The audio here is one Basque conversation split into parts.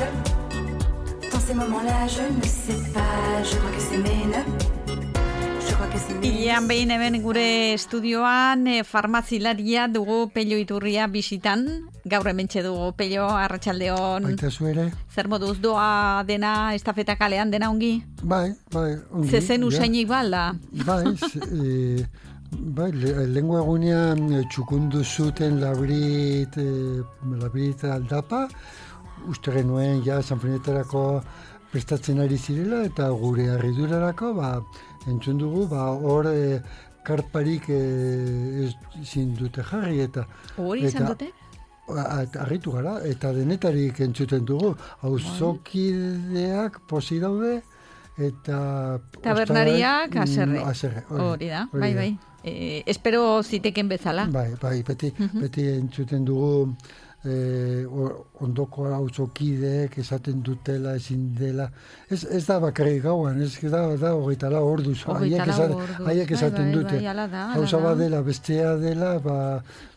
l'âge. Dans ces moments-là, je ne sais pas, je crois que c'est mes nœuds. Ilean behin hemen gure estudioan farmazilaria dugu Pello Iturria bisitan. Gaur hementxe dugu Pello, arratsaldeon. Baita zu ere. Zer moduz doa dena, estafeta kalean dena ongi? Bai, ongi. Zezen usainik balda? Bai, lengua egunean txukundu zuten labrit aldapa. Uste genuen ja sanferminetarako prestatzen ari zirela eta gure harridurarako, entzun dugu, hor karparik ezin dute jarri eta... Hori izan dute? Arritu gara, eta denetarik entzuten dugu. Auzokideak posi daude, eta... Tabernariak aserre. Hori da, bai. Espero ziteken bezala. Bai, beti entzuten dugu ondoko auzokideek esaten dutela, ezin dela. Ez da bakarrik gauan, ez da hogeita lau orduz. Haiek esaten dute. Hauza badela, bestea dela,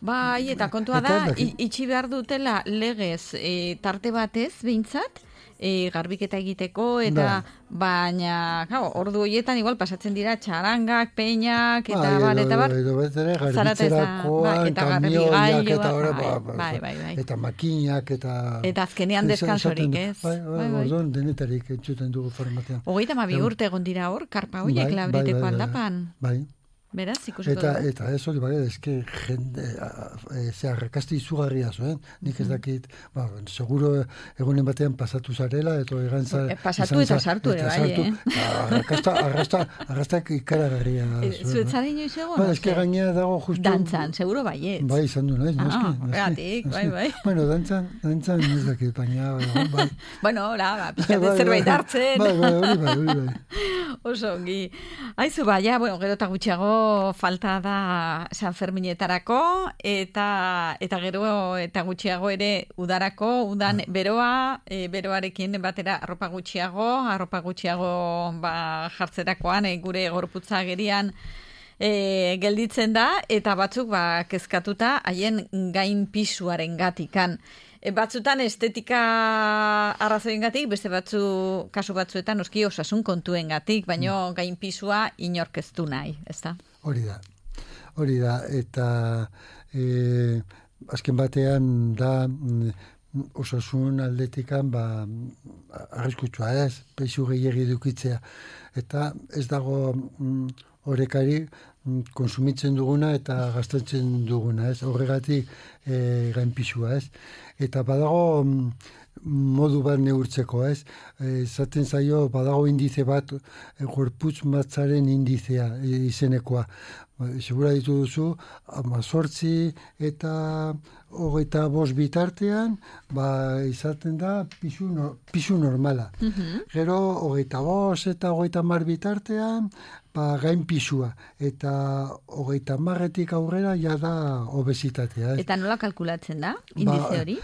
Bai, eta kontua da, itxi behar dutela legez tarte batez, behintzat, garbiketa egiteko, eta baina, ordu horietan igual pasatzen dira txarangak, peinak, eta bar. Edo betere, garbitzerakoan, kamioiak, eta makinak, eta azkenean deskansorik, ez? Orduan denetarik entzuten dugu farmazian. 32 urte egon dira hor, karpa horiek labriteko aldapan. Bai. Beraz, ikusiko dugu. Eta ez hori, eske jende, arrakasti izugarria zuen, nik ez dakit, seguro egunen batean pasatu zarela, eta egantzar... Pasatu eta sartu ere, bai, Arrastak ikaragarria zuen. Zuetzara inoiz egon? Eske gainea dago justu... Dantzan, seguro baiet. Bai, izan du, nahi, Gatik, bai. Bueno, dantzan ez dakit, baina, bai. Bueno, pixkat zerbait hartzen. Bai. Oso ongi. Aizu, baina, gero eta gutxiago falta da San Ferminetarako eta gero eta gutxiago ere udarako, udan beroarekin batera arropa gutxiago jartzerakoan gure gorputza gerian gelditzen da, eta batzuk kezkatuta haien gain pisuaren gatikan. Batzutan estetika arrazoiengatik, beste kasu batzuetan noski osasun kontuengatik, baino gain pisua inork ez du nahi, ezta? Hori da, eta azken batean da osasun aldetikan arriskutsua ez, pisu gehiegi dukitzea, eta ez dago horrekari konsumitzen duguna eta gastatzen duguna, ez? Horregatik gainpisua, ez? Eta badago modu bat neurtzeko, ez? Zaten zaio, badago indize bat, gorputz matzaren indizea izenekoa. Segura ditu duzu, 18 eta 25 bitartean, izaten da pisu normala. Gero, 25 eta 30 bitartean, gain pisua, eta 30etik aurrera ja da obesitatea. Eta nola kalkulatzen da, indize hori?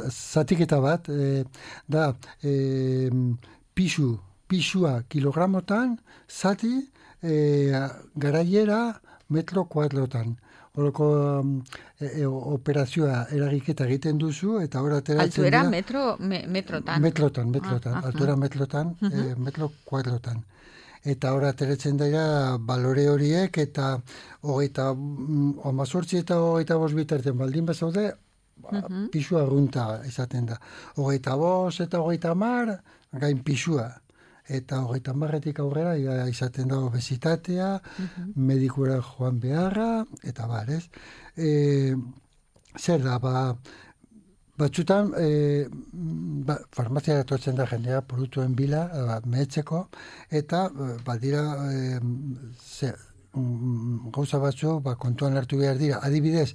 Zatiketa bat, pisua kilogramotan, zati, garaiera metro kuadrotan. Horoko operazioa eragiketa egiten duzu, eta hor ateratzen dira... Altuera metrotan. Altuera metrotan, metro kuadrotan. Eta hor ateratzen dira balore horiek, eta 18 eta 25 bitartean baldin bazaude, pisua arrunta izaten da. 25 eta 30 gain pisua. Eta 30etik aurrera izaten da obesitatea, medikura joan beharra, eta ez? Zer da, batzutan, farmaziara etortzen da jendea produktuen bila, mehetzeko, eta badira gauza batzu kontuan hartu behar dira. Adibidez,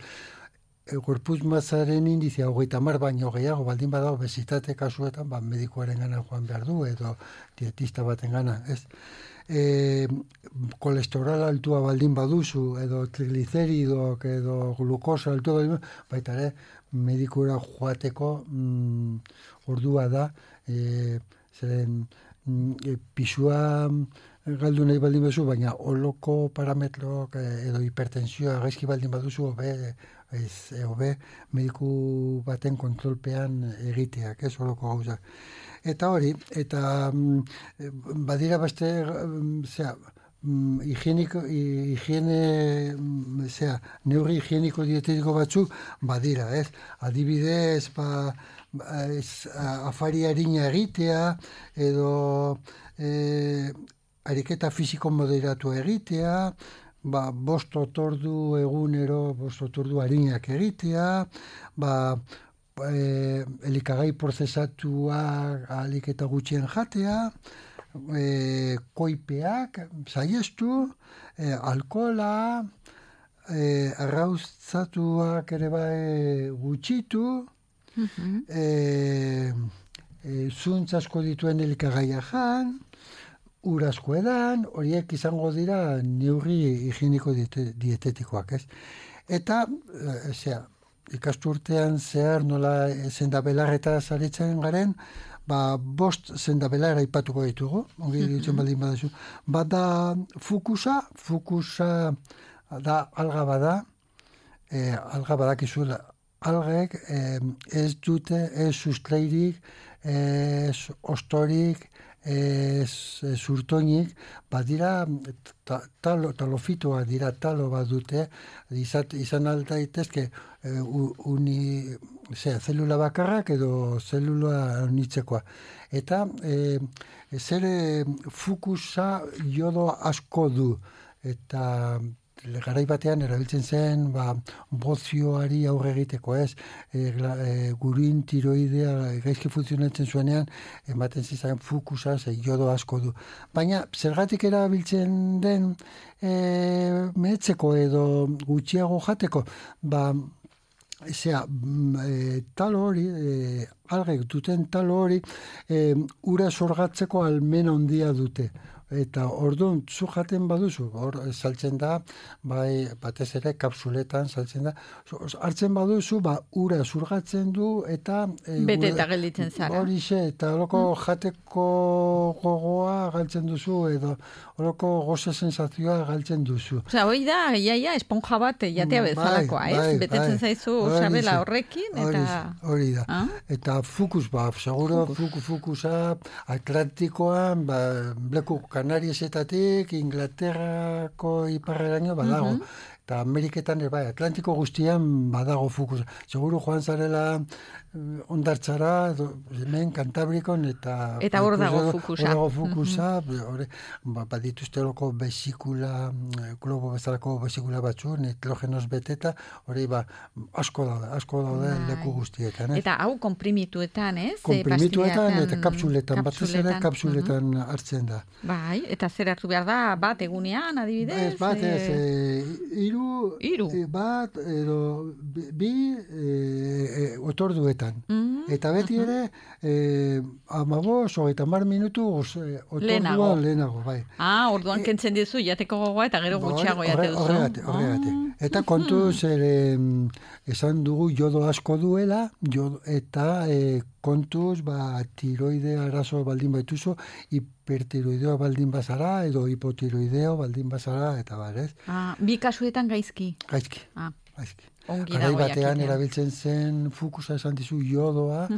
gorputz matzaren indizia 30 baino gehiago baldin bada obesitate kasuetan, medikuaren gana joan behar du, edo dietista baten gana, ez? Kolesterol altua baldin baduzu, edo trigliceridoak, edo glukosa altua, baita ere, medikura joateko ordua da, zeren pisua galdu nahi baldin baduzu, baina oloko parametrok edo hipertensioa gaizki baldin baduzu, hobe mediku baten kontrolpean egiteak, ez horoko gauzak. Eta hori, eta badira beste, neurri higieniko dietetiko batzuk badira, ez? Adibidez, afari arina egitea, edo ariketa fisiko moderatu egitea, 5 otordu egunero, 5 otordu arinak egitea, elikagai prozesatuak ahalik eta gutxien jatea, koipeak, saiestu, alkohola, arrauztzatuak ere gutxitu, zuntz asko dituen elikagaia jan, ur asko edan, horiek izango dira neurri higieniko dietetikoak, ez? Eta, ikasturtean zehar nola zendabelarreta zaritzen garen, 5 zendabelar aipatuko ditugu, ongi ditzen baldin badazu. Bada fukusa da alga bada, alga badakizu, algek ez dute, ez sustreirik, ez ostorik, zurtoinik, badira talofitoa dira, talo bat dute, izan alta daitezke zelula bakarrak edo zelula nitzekoa. Eta fukusa jodo asko du, eta garai batean erabiltzen zen bozioari aurre egiteko, ez? Gurin tiroidea gaizki funtzionatzen zuenean, ematen zizan fukusa, jodo asko du. Baina, zergatik erabiltzen den mehetzeko edo gutxiago jateko, talo hori, algek duten talo hori, ura sorgatzeko almen handia dute. Eta orduan, zu jaten baduzu, hor saltzen da, batez ere kapsuletan saltzen da, hartzen baduzu, ura zurgatzen du, eta bete eta gelditzen zara. Horixe, eta horoko jateko gogoa galtzen duzu, edo horoko goze sensazioa galtzen duzu. Osea, hori da, iaia, esponja bat jatea bezalakoa, ez? Betetzen zaizu sabela horrekin, eta... Hori da. Eta fukus, seguro, fukusa, Atlantikoan, bleku Kanariesetatik, Inglaterrako iparreraino badago. Eta Ameriketan, Atlantiko guztian badago fukusa. Seguro joan zarela ondartzara, hemen Kantabrikon, eta hor dago fukusa. Hor dago fukusa, badituzte horoko besikula, globo bezalako besikula batzu, nitrogenoz beteta, hori asko daude leku guztietan. Eta hau komprimituetan, ez? Komprimituetan eta kapsuletan, batez ere kapsuletan hartzen da. Bai, eta zer hartu behar da, bat egunean, adibidez? Bat, hiru, bat, edo bi otorduetan. Eta beti ere, 15-30 minutu otordua lehenago, bai. Orduan kentzen dizu, jateko gogoa, eta gero gutxiago jate duzu. Horregatik. Eta kontuz, esan dugu jodo asko duela, eta kontuz, tiroide arazo baldin baituzu, hipertiroideo baldin bazara, edo hipotiroideo baldin bazara, eta ez? Bi kasuetan gaizki? Gaizki. Garai batean jakitea. Erabiltzen zen fukusa esan dizu jodoa,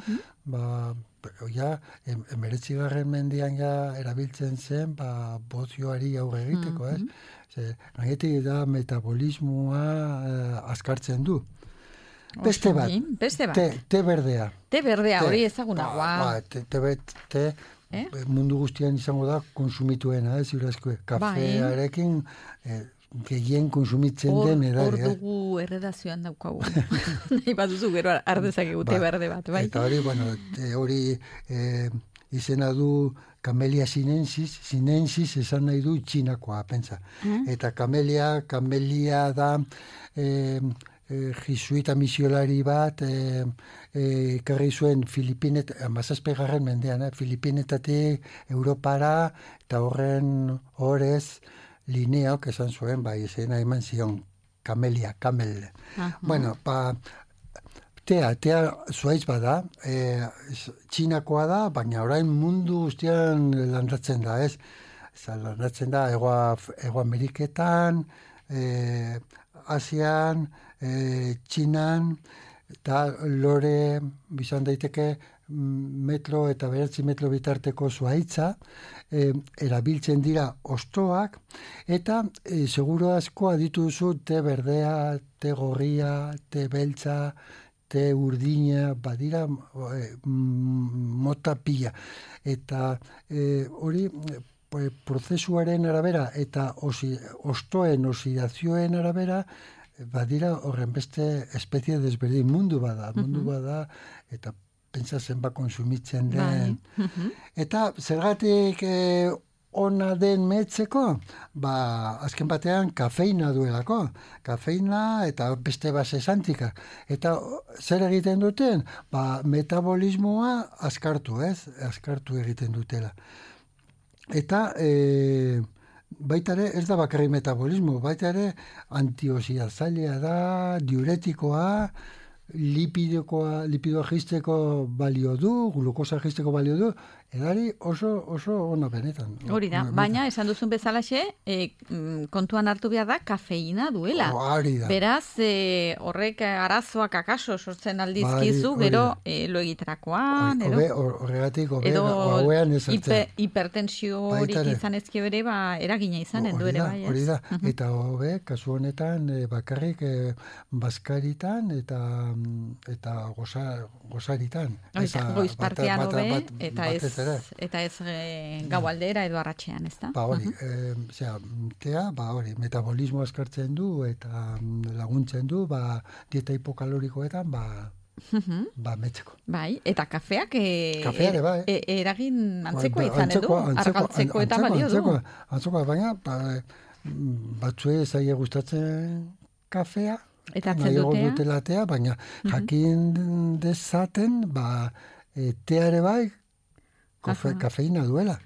19. mendean erabiltzen zen bozioari aurre egiteko, ez? Gainetik da metabolismoa azkartzen du. Beste bat. Te berdea. Te berdea, hori ezagunagoa. Te mundu guztian izango da konsumituena, ez ziurazko. Kafearekin gehien konsumitzen den edari. Hor dugu erredazioan daukagu. Nahi baduzu gero ardezak egute berde bat, bai? Eta hori izena du Camellia sinensis esan nahi du txinakoa, pentsa. Eta Camellia da jesuita misiolari bat ekarri zuen Filipinetatik, mendean, Filipinetatik Europara, eta horrez Lineok esan zuen, izena eman zion, Camellia, Camel. Bueno, tea zuaitz bada, txinakoa da, baina orain mundu guztian landatzen da, ez? Landatzen da, Ego Ameriketan, Asian, Txinan, eta lore bizan daiteke metro eta 9 metro bitarteko zuhaitza, erabiltzen dira ostoak, eta seguro asko aditu duzu te berdea, te gorria, te beltza, te urdina, badira mota pila. Eta hori prozesuaren arabera eta ostoen oxidazioen arabera, badira horren beste espezie desberdin mundu bada, eta pentsa zenba konsumitzen den. Eta zergatik ona den metzeko, azken batean kafeina duelako. Kafeina eta beste base santika. Eta zer egiten duten? Metabolismoa askartu egiten dutela. Eta baita ere, ez da bakarri metabolismo, baita ere antioxidazailea da, diuretikoa, lipidoa jisteko balio du, glukosa jisteko balio du, edari oso ona benetan. Hori da, baina esan duzun bezalaxe, kontuan hartu behar da, kafeina duela. Hori da. Beraz, horrek arazoak akaso sortzen aldizkizu, gero lo egiterakoan, horregatik, edo hauean ezartzen. Hipertensiorik izan ezkio ere, eragina izanen du ere bai. Hori da, eta kasu honetan, bakarrik bazkaritan eta gozaritan. Goizpartean hobe, eta ez gaualdera edo arratsean, ez da? Hori, metabolismo askartzen du eta laguntzen du, dieta hipokalorikoetan, metzeko. Bai, eta kafeak eragin antzekoa izanen du, argaltzeko eta balio du. Antzekoa, baina batzuei zaie gustatzen kafea, eta atzen tea, baina jakin dezaten, teare bai, kafeina duela.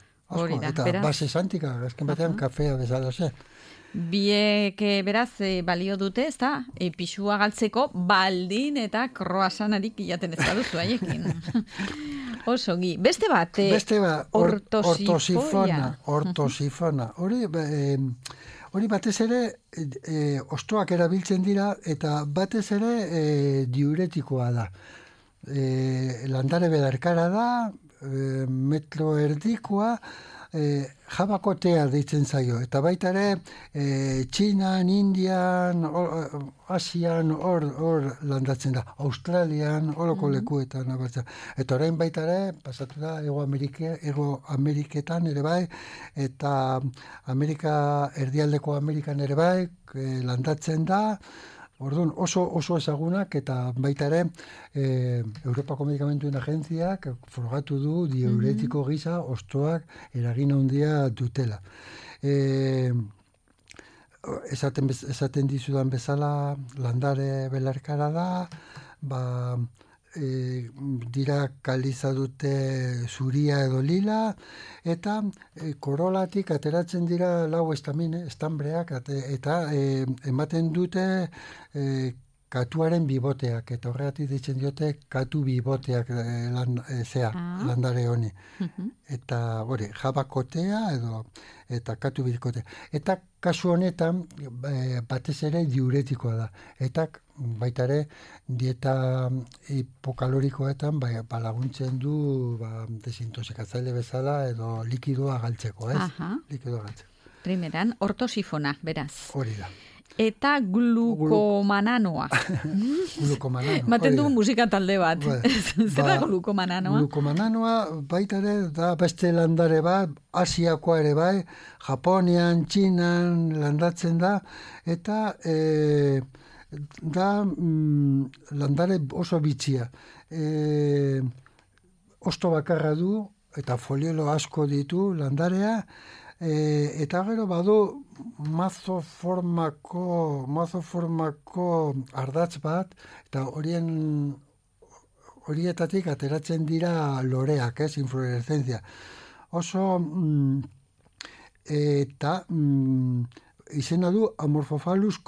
Eta base santika, azken batean kafea bezala ze. Biek beraz balio dute, ez da? Pixua galtzeko baldin eta kroasanarik jaten ez baduzu haiekin. Osogi. Beste bat, ortosifona. Hori batez ere ostoak erabiltzen dira eta batez ere diuretikoa da. Landare belarkara da, metro erdikoa, jabakotea deitzen zaio. Eta baita ere, Txinan, Indian, Asian, hor landatzen da. Australian, horoko lekuetan abertzen. Eta orain baita ere, pasatu da, Ego Ameriketan ere bai, eta erdialdeko Amerikan ere bai, landatzen da. Orduan, oso ezagunak eta baita ere Europako Medikamentuen Agentziak frogatu du diuretiko gisa ostoak eragin handia dutela. Esaten dizudan bezala landare belarkara da, dira kaliza dute zuria edo lila, eta korolatik ateratzen dira lau estambreak, eta ematen dute katuaren biboteak, eta horregatik ditzen diote katu biboteak landare honi. Eta jabakotea eta katu bikotea. Eta kasu honetan batez ere diuretikoa da. Eta baita ere dieta hipokalorikoetan laguntzen du desintoxikatzaile bezala edo likidoa galtzeko, ez? Likidoa galtzeko. Primeran, ortosifona, beraz. Hori da. Eta glukomananoa. Glukomananoa. Maten du musika talde bat. Zer da glukomananoa? Glukomananoa baita ere da beste landare bat, Asiakoa ere bai, Japonian, Txinan landatzen da, eta da landare oso bitxia. Osto bakarra du, eta foliolo asko ditu landarea, eta gero badu mazo formako ardatz bat, eta horietatik ateratzen dira loreak, inflorescentzia. Oso eta izena du Amorphophallus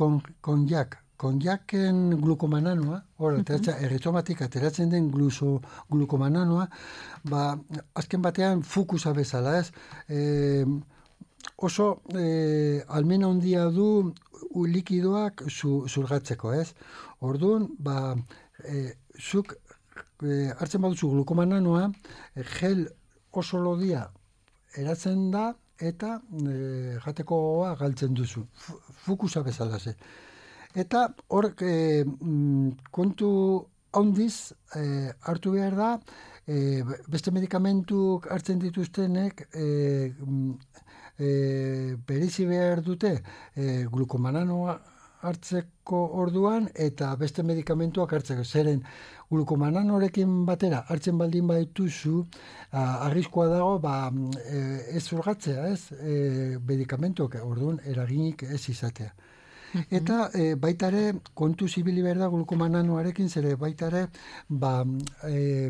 konjaken glukomananoa, erritzomatik ateratzen den glukomananoa, azken batean fukusa bezala, ez? oso almen handia du likidoak zurgatzeko, ez? Orduan, zuk hartzen baduzu glukomananoa, gel oso lodia eratzen da, eta jatekoa galtzen duzu. Fukusa bezala ze. Eta hor kontu handiz hartu behar da, beste medikamentuk hartzen dituztenek bereizi behar dute glukomananoa hartzeko orduan eta beste medikamentuak hartzeko. Zeren glukomananorekin batera hartzen baldin baituzu, arriskua dago ez zurgatzea, ez medikamentuak orduan eraginik ez izatea. Eta baita ere kontu zibili behar da glukomananoarekin, zere baita ere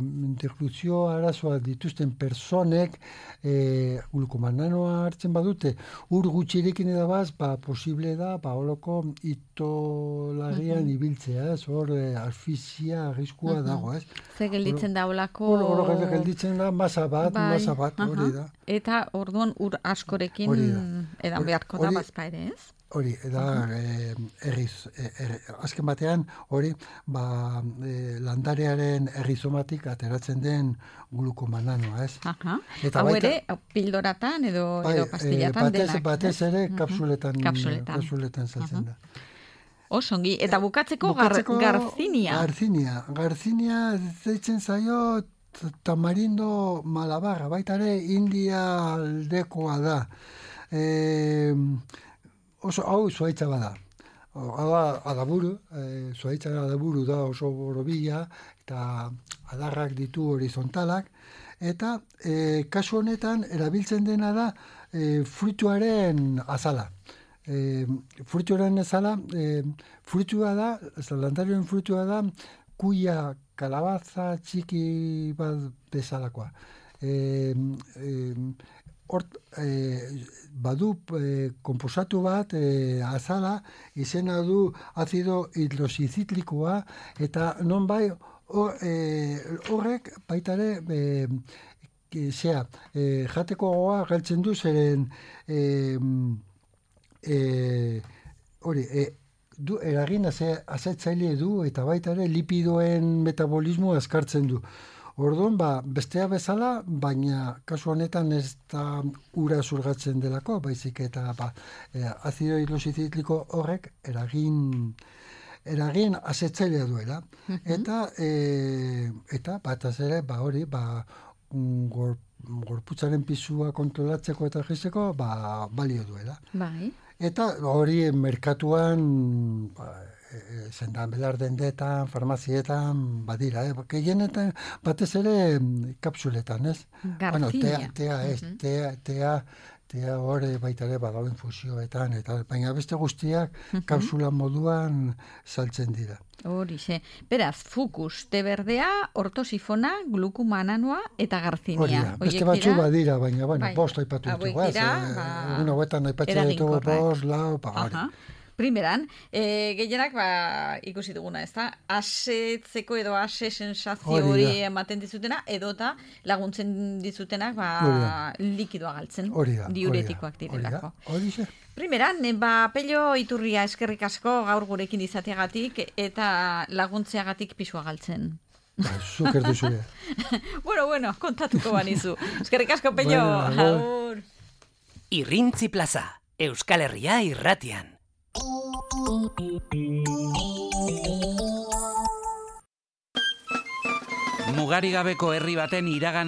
interluzio arazoa dituzten personek glukomananoa hartzen badute ur gutxirekin edabaz, posible da holoko itolagian ibiltzea, ez hor asfixia arriskua dago, ez? Ze gelditzen da holako... Hor gelditzen da masa bat, hori da. Eta orduan ur askorekin edan beharko da bazpa ere, ez? Hori, da, azken batean, hori, landarearen errizomatik ateratzen den glukomananoa, ez? Hau ere, pildoratan edo pastillatan denak. Batez ere kapsuletan saltzen da. Osongi, eta bukatzeko garzinia. Garzinia zeitzen zaio tamarindo malabarra, baita ere India aldekoa da. Oso hau zuhaitza bada. Adaburu, zuhaitza adaburu da oso borobila, eta adarrak ditu horizontalak, eta kasu honetan erabiltzen dena da fruituaren azala. Fruituaren azala, fruitua da, landarioen fruitua da, kuia kalabaza txiki bat bezalakoa. Badu komposatu bat azala, izena du azido hidroxiziklikoa, eta non horrek baitare jateko gogoa galtzen du, zeren eragin azetzaile du, eta baitare lipidoen metabolismo azkartzen du. Orduan, bestea bezala, baina kasu honetan ez da ura zurgatzen delako, baizik eta azido hidroxizitliko horrek eragin azetzailea duela. Eta bataz ere, hori, gorputzaren pisua kontrolatzeko eta jisteko, balio duela. Bai. Eta hori merkatuan... zendan belar dendetan, farmazietan, badira, gehienetan batez ere kapsuletan, ez? Garzina. Tea hori baita ere badau infusioetan, baina beste guztiak kapsula moduan saltzen dira. Horixe. Beraz, fukus, te berdea, ortosifona, glukomananoa eta garzinia. Hori da, beste batzu badira, baina, bost aipatu ditugu, ez? Egun hauetan aipatzen ditugu bost, lau, hori. Primeran, gehienak ikusi duguna, ez da? Asetzeko edo ase sensazio hori ematen dizutena, edota laguntzen dizutenak likidoa galtzen. Diuretikoak direlako. Primeran, Pello Iturria eskerrik asko gaur gurekin izateagatik eta laguntzeagatik pisua galtzen. Zuker duzu. Bueno, kontatuko banizu. Eskerrik asko, Pello. Agur. Irrintzi Plaza, Euskal Herria irratian. Mugarigabeko herri baten iragan